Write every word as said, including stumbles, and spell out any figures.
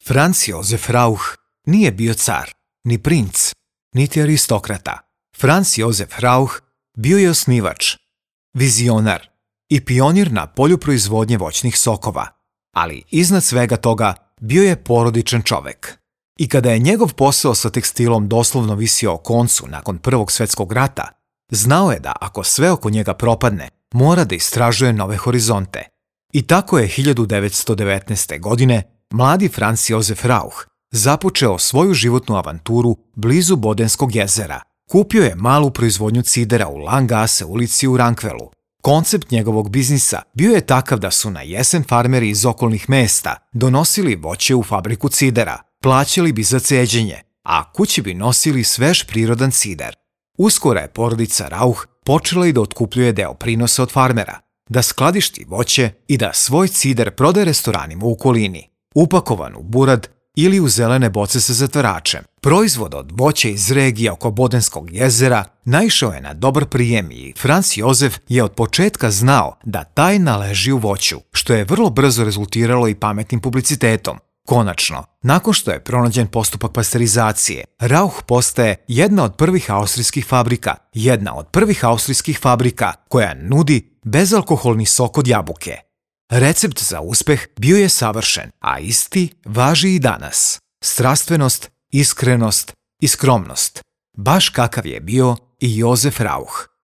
Franz Josef Rauch nije bio car, ni princ, niti aristokrata. Franz Josef Rauch bio je osnivač, vizionar i pionir na polju proizvodnje voćnih sokova, ali iznad svega toga bio je porodičan čovek. I kada je njegov posao sa tekstilom doslovno visio o koncu nakon Prvog svjetskog rata, znao je da ako sve oko njega propadne, mora da istražuje nove horizonte. I tako je hiljadu devetsto devetnaeste. godine mladi Franz Josef Rauch započeo svoju životnu avanturu blizu Bodenskog jezera. Kupio je malu proizvodnju cidera u Langasse ulici u Rankvelu. Koncept njegovog biznisa bio je takav da su na jesen farmeri iz okolnih mesta donosili voće u fabriku cidera, plaćali bi za ceđenje, a kući bi nosili svež prirodan cider. Uskoro je porodica Rauch počela i da otkupljuje deo prinosa od farmera, da skladišti voće i da svoj cider prodaje restoranima u okolini, upakovan u burad ili u zelene boce sa zatvaračem. Proizvod od voća iz regija oko Bodenskog jezera naišao je na dobar prijem i Franz Josef je od početka znao da tajna leži u voću, što je vrlo brzo rezultiralo i pametnim publicitetom. Konačno, nakon što je pronađen postupak pasterizacije, Rauch postaje jedna od prvih austrijskih fabrika, jedna od prvih austrijskih fabrika koja nudi bezalkoholni sok od jabuke. Recept za uspeh bio je savršen, a isti važi i danas. Strastvenost, iskrenost i skromnost, baš kakav je bio i Josef Rauch.